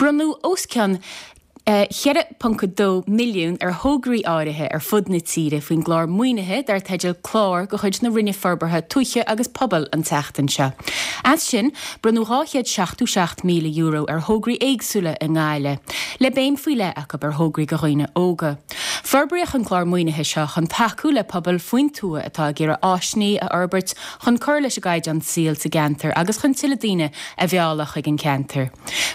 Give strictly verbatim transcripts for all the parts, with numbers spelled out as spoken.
Bronnadh os cionn ceithre ponc dó milliún ar thograí áirithe ar fud na tíre faoin gclár maoinithe dar teideal Clár de chuid na Roinne Forbartha Tuaithe agus Pobail an tseachtain seo. As sin, bronnadh dhá chéad seachtó seacht míle euro ar thograí éagsúla i nGaillimh, le béim faoi leith acu ar thograí do dhaoine óga. Forbraíodh an clár maoinithe seo chun tacú le pobail faoin tuath atá ag iarraidh áiseanna a fhorbairt chun cur leis an gcaighdeán saoil sa gceantar agus chun tuilleadh daoine a mhealladh chuig an cheantar.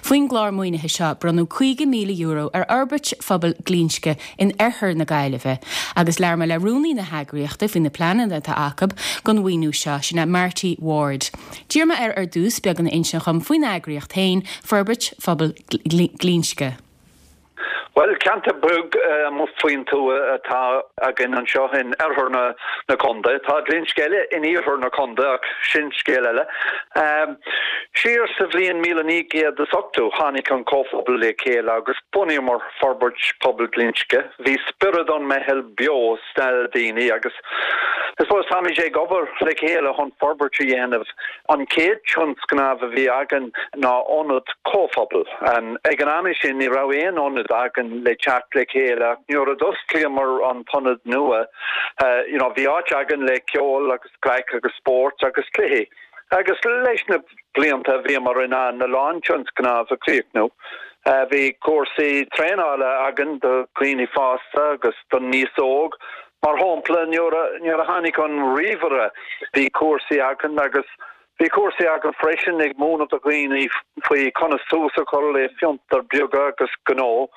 Faoin gclár maoinithe seo bronnadh caoga míle euro ar fhorbairt phobal Ghlinsce in oirthear na Gaillimhe, agus labhair mé le rúnaí na heagraíochta faoi na pleananna atá acu don mhaoiniú seo, sin é Marty Ward. D'iarr mé air ar dtús beagán a insint dhom faoin eagraíocht féin, Forbairt Phobal Ghlinsce. Bhuel, ceantar beag amuigh faoin tuath atá againn anseo in oirthear na na contae. Tá Glinsce eile in iarthar na contae ach sin scéal eile. Siar sa bhliain míle naoi gcéad is ochtó tháinig an comhphobal le chéile agus bhunaíomar Forbairt Pobail Ghlinsce. Bhí spiorad an meitheal beo sna daoine agus I suppose táimid ag obair le chéile chun forbairt a dhéanamh. An chéad tionscnamh a bhí againn ná ionad comhphobail. Ag an am sin ní raibh aon ionad againn le teacht le chéile. Nuair a d'osclaíomar an t-ionad nua, you know, bhí áit againn le ceol agus craic agus spórt agus cluichí. Agus leis na blianta bhíomar in ann a lán tionscnamh a chríochnú. Bhí cúrsaí traenála againn do dhaoine fásta agus don níos óg. Mar shampla nuair a tháinig an ríomhaire bhí cúrsaí againn agus bhí cúrsaí againn freisin ag múineadh do dhaoine faoi conas tús a chur le fiontar beaga agus gnó.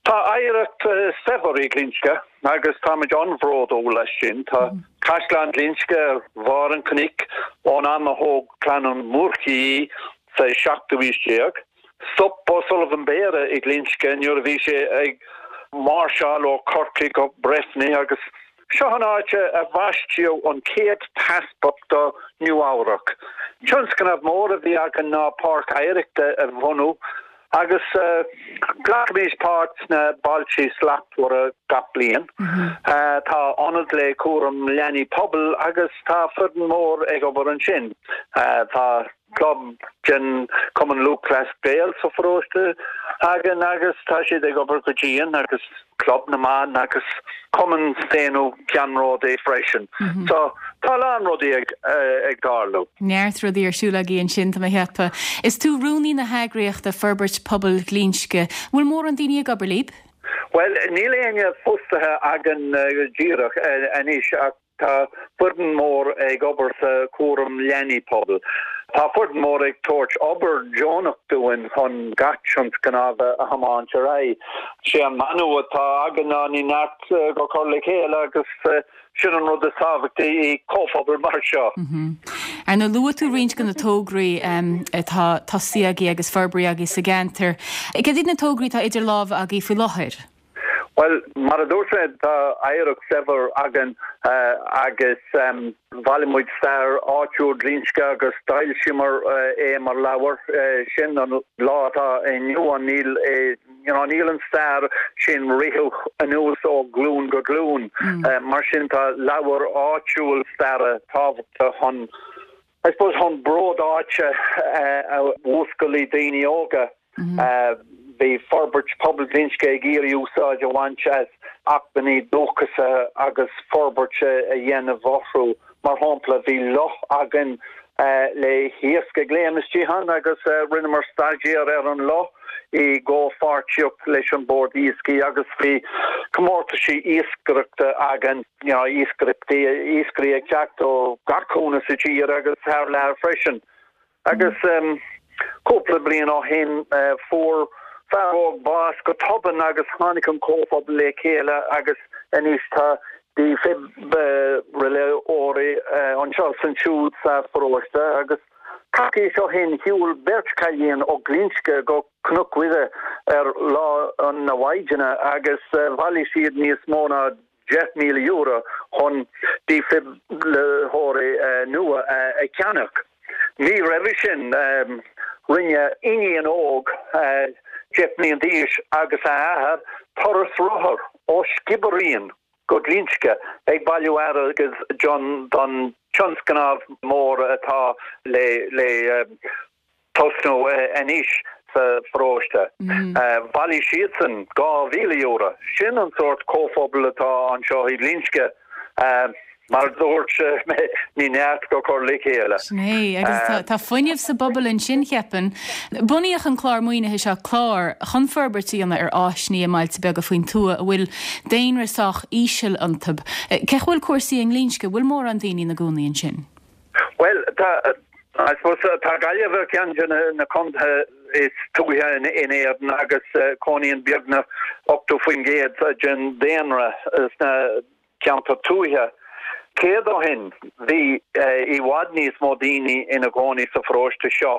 Tá oidhreacht saibhir i Glinsce agus táimid an-bhródúil leis sin. Tá Caisleán Ghlinsce ar bharr an chnoic ón am a thóg clann an Mhurchaidh sa seachtú haois déag. Stop O'Sullivan Beare i Glinsce nuair a bhí sé ag máirseáil ó Chorcaigh go Breifne agus seo an áit a bhaisteadh an chéad easpag do Nua Eabhrac. Tionscnamh mór a bhí againn ná páirc oidhreachta a bhunú agus glacaimid páirt sna Bailte Slachtmhara gach bliain. Tá ionad le cúram leanaí pobail agus tá foireann mór ag obair ansin. Tá club den Cumann Lúthchleas Gael sa pharóiste againn agus tá siad ag obair go dian agus Club na mBan agus Cumann Staonadh Ceannródaí freisin. So tá lán rudaí ag ag tarlú. Neart rudaí ar siúl agaibh ansin tá mé ag ceapadh. Is tú rúnaí na heagraíochta Forbairt Pobail Ghlinsce. Bhfuil mórán daoine ag obair libh? Well, níl éinne fostaithe againn díreach anois ach tá foireann mór ag obair sa cúram leanaí pobail. Tá foireann mór ag tabhairt obair deonach dúinn chun gach tionscnamh a thiomáint ar aghaidh. Sé an mana atá againn ná ní neart go cur le chéile agus sin an rud is tábhachtaí i comhphobal mar seo. Ar ndóigh luaigh tú roinnt de na tograí atá tosaithe agaibh agus forbraithe agaibh sa gceantar. Cad iad na tograí atá idir lámha agaibh faoi láthair? Well, mar a dúirt mé tá oidhreacht saibhir againn agus bhailigh muid stair áitiúil Ghlinsce agus d'fhoilsíomar é mar leabhar sin an lá atá inniu ann níl you know, níl an stair sin ritheadh anuas ó glún go glún. Mar sin tá leabhar áitiúil staire tábhachtach chun I suppose chun bród áite a mhúscailt i daoine óga. Bhí Forbairt Pobail Ghlinsce ag iarraidh úsáid a bhaint as acmhainní dúchasacha agus forbairt a dhéanamh orthu. Mar shampla, bhí loch againn le hiasc ag léim istigh ann agus rinneamar staidéar ar an loch i gcomhpháirtíocht leis an Bord Iascaigh agus bhí comórtaisí iascaireachta againn, you know, iascaireachtaí, iascairí ag teacht ó gach cúinne sa tír agus thar lear freisin. Agus cúpla bliain ó shin fuair fear óg bás go tobann agus tháinig an comhphobal le chéile agus anois tá dífhibrileoirí anseo is ansiúd sa pharóiste agus coicís ó shin shiúil beirt cailín ó Ghlinsce go Cnoc Mhuire ar Lá na Maighdine agus bhailigh siad níos mó ná deich míle euro chun dífhibrileoirí nua a cheannach. Mí roimhe sin, rinne iníon óg deich mbliana d'aois agus a athair turas rothar ó Skibbereen go Glinsce ag bailiú airgid don tionscnamh mór atá le tosnú anois. sa pharóiste. Bhailigh siadsan dhá mhíle euro. Sin an sórt comhphobal atá anseo i Glinsce. Mar a dúirt mé, ní neart go cur le chéile. Sin é, agus tá fuinneamh sa bpobal ansin, cheapfainn. Bunaíodh an clár maoinithe seo, Clár, chun forbairt a dhéanamh ar áiseanna i mbailte beaga faoin tuath a bhfuil daonra sách íseal iontu. Cén chaoi a bhfuil cúrsaí i nGlinsce, bhfuil mórán daoine ina gcónaí ansin? Bhuel, tá, I suppose, tá Gaillimh ar ceann de na contaetha is tuaithe in Éirinn agus cónaíonn beagnach ochtó faoin gcéad den daonra sna ceantair tuaithe. Céad ó shin bhí i bhfad níos mó daoine ina gcónaí sa pharóiste seo.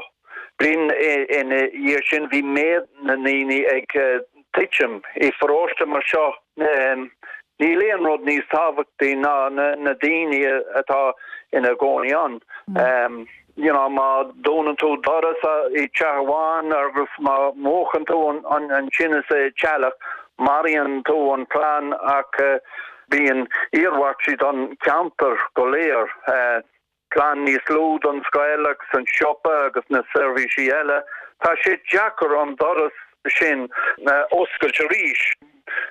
Bliain ina dhiaidh sin bhí méid na ndaoine ag titim. I pharóiste mar seo níl aon rud níos tábhachtaí ná na daoine atá ina gcónaí ann. You know, má dúnann tú doras i dteach amháin agus má mhúchann tú an tine sa teallach, maraíonn tú an clann ach bíonn iarmhairtí don cheantar go léir. Plean níos lú don scoil agus an siopa agus na seirbhísí eile. Tá sé deacair an doras sin a oscailt arís.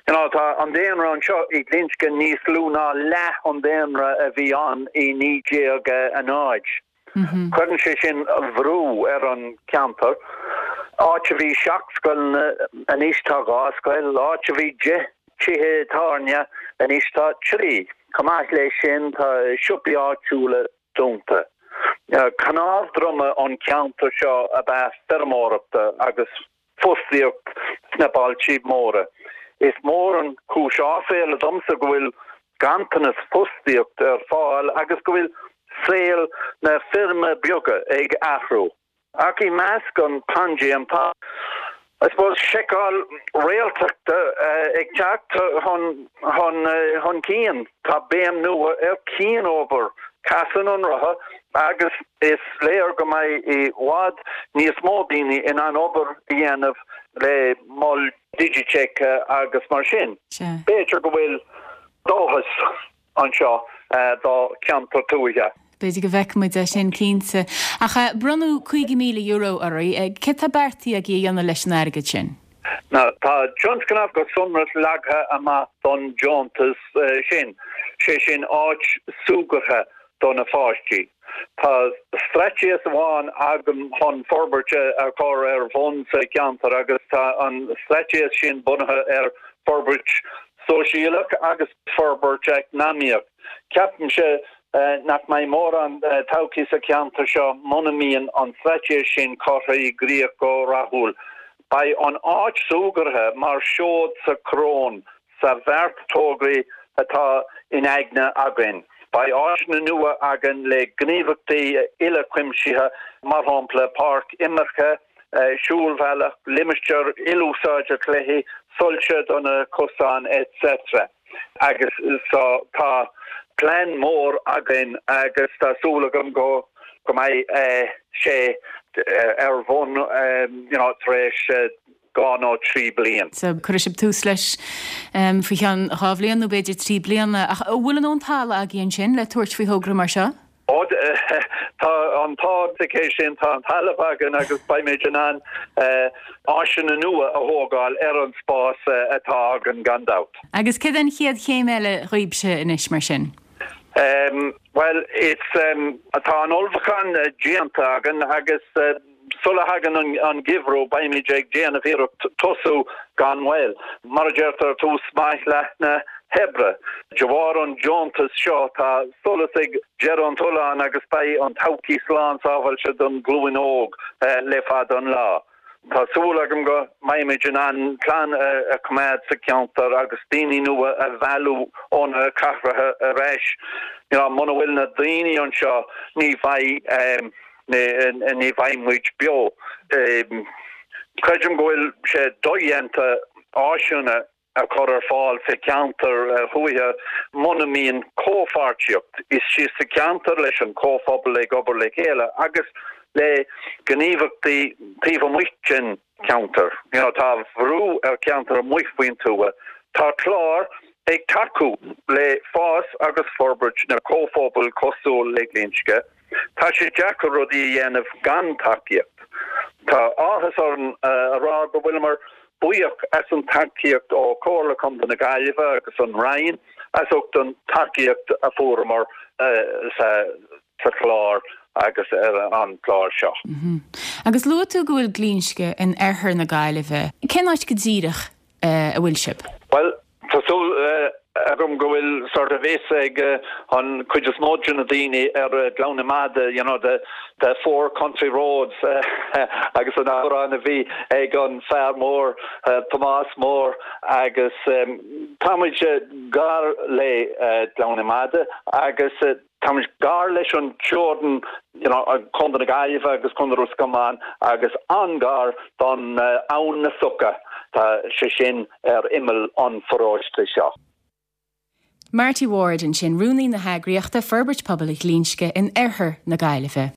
You know, tá an daonra anseo i nGlinsce níos lú ná leath an daonra a bhí ann i naoi déag a náid. Cuireann sé sin brú ar an ceantar. Áit a bhí seacht scoileanna, anois tá dhá scoil, áit a bhí deich tithe tábhairne, anois tá trí. Chomh maith leis sin tá siopaí áitiúla dúnta. Cnámh droma an ceantar seo ab ea feirmeoireachta agus fostaíocht sna bailte móra. Is mór an cúis áiféala domsa go bhfuil ganntanas fostaíocht ar fáil agus go bhfuil saol na feirme beaga ag athrú. Ach i measc an paindéim tá, I suppose, seiceáil réaltachta ag teacht chun chun cinn. Tá béim nua ar cianobair, casann an rotha agus is léir go mbeidh i bhfad níos mó daoine in ann obair a dhéanamh le mol digiteach agus mar sin. B'fhéidir go bhfuil dóchas anseo do cheantar tuaithe. B'fhéidir go bhfeicfidh muid é sin cinnte. Ach bronnadh cúig mhíle euro oraibh. Céard tá beartaithe agaibh a dhéanamh leis an airgead sin? Now, tá tionscnamh go sonrach leagtha amach don deontas sin, sé sin áit súgartha do na pháistí. Tá straitéis amháin agam chun forbairt a chur ar bun sa cheantar agus tá an straitéis sin bunaithe ar forbairt sóisialach agus forbairt eacnamaíoch. Ceapaimse nach mbeidh mórán todhchaí sa cheantar seo muna mbíonn an straitéis sin curtha i gcrích go rathúil. Beidh an áit súgartha mar seod sa choróin sa bheart tograí atá in aigne againn. Beidh áiseanna nua againn le gníomhaíochtaí uilechuimsitheacha, mar shampla páirc imeartha, siúlbhealach, limistéar ilúsáide cluichí, soilse do na cosáin etc. Agus so tá plean mór againn agus tá súil agam go go mbeidh sé ar bun you know, tar éis dhá nó trí bliain. So cuirfidh sibh tús leis faoi cheann dhá bhliain nó b'fhéidir trí bliana. Ach an bhfuil an dóthain talaimh agaibh ansin le tabhairt faoi thogra mar seo? Ó, tá an t-ádh sa chéist sin, tá an talamh againn agus beimid in ann áiseanna nua a thógáil ar an spás atá againn gan dabht. Agus céard an chéad chéim eile dhaoibhse anois mar sin? Bhuel, is tá an ullmhúchán déanta againn agus sula thagann an geimhreadh beimid ag déanamh iarracht tosú gan mhoill. Mar a deirtear, tús maith leath na hoibre. De bharr an deontais seo tá solas ag deireadh an tolláin agus beidh an todhchaí slán sábháilte don ghlúin óg le fada an lá. Tá súil agam go mbeimid in ann clann a choimeád sa cheantar agus daoine nua a mhealladh ó na cathracha ar ais. You know, muna bhfuil na daoine anseo ní bheidh ní bheidh muid beo. Creidim go bhfuil sé dodhéanta áiseanna a chur ar fáil sa cheantar thuaithe muna mbíonn comhpháirtíocht istigh sa cheantar leis an comhphobal ag obair le chéile agus le gníomhaíochtaí taobh amuigh den cheantar. You know, tá brú ar cheantar amuigh faoin tuath. Tá clár ag tacú le fás agus forbairt na comhphobal cosúil le Glinsce. Tá sé deacair rudaí a dhéanamh gan tacaíocht. Tá áthas orm a rá go bhfuileamar buíoch as an tacaíocht ó Chomhairle Contae na Gaillimhe agus an Roinn as ucht an tacaíocht a fuaireamar sa sa chlár agus ar an chlár seo. Mm -hmm. Agus luaigh tú go bhfuil Glinsce in oirthear na Gaillimhe. Cén áit go díreach uh, a bhfuil sibh? Well, tá súil uh, agam go bhfuil sort of fhios ag uh, an cuid is mó de na daoine ar uh, Gleann na Madadh you know the the four country roads uh, agus an amhrán a bhí ag an fear mór uh, Tomás Mór agus um, táimid uh, gar le uh, Gleann na Madadh agus uh, táimid gar leis an teorainn you know, Contae na Gaillimhe agus Contae Ros Comáin agus an-ghar don uh, Abhainn na Suca tá sé sin ar imeall an pharóiste seo. Marty Ward ansin rúnaí na heagraíochta Forbairt Pobail Ghlinsce in oirthear na Gaillimhe.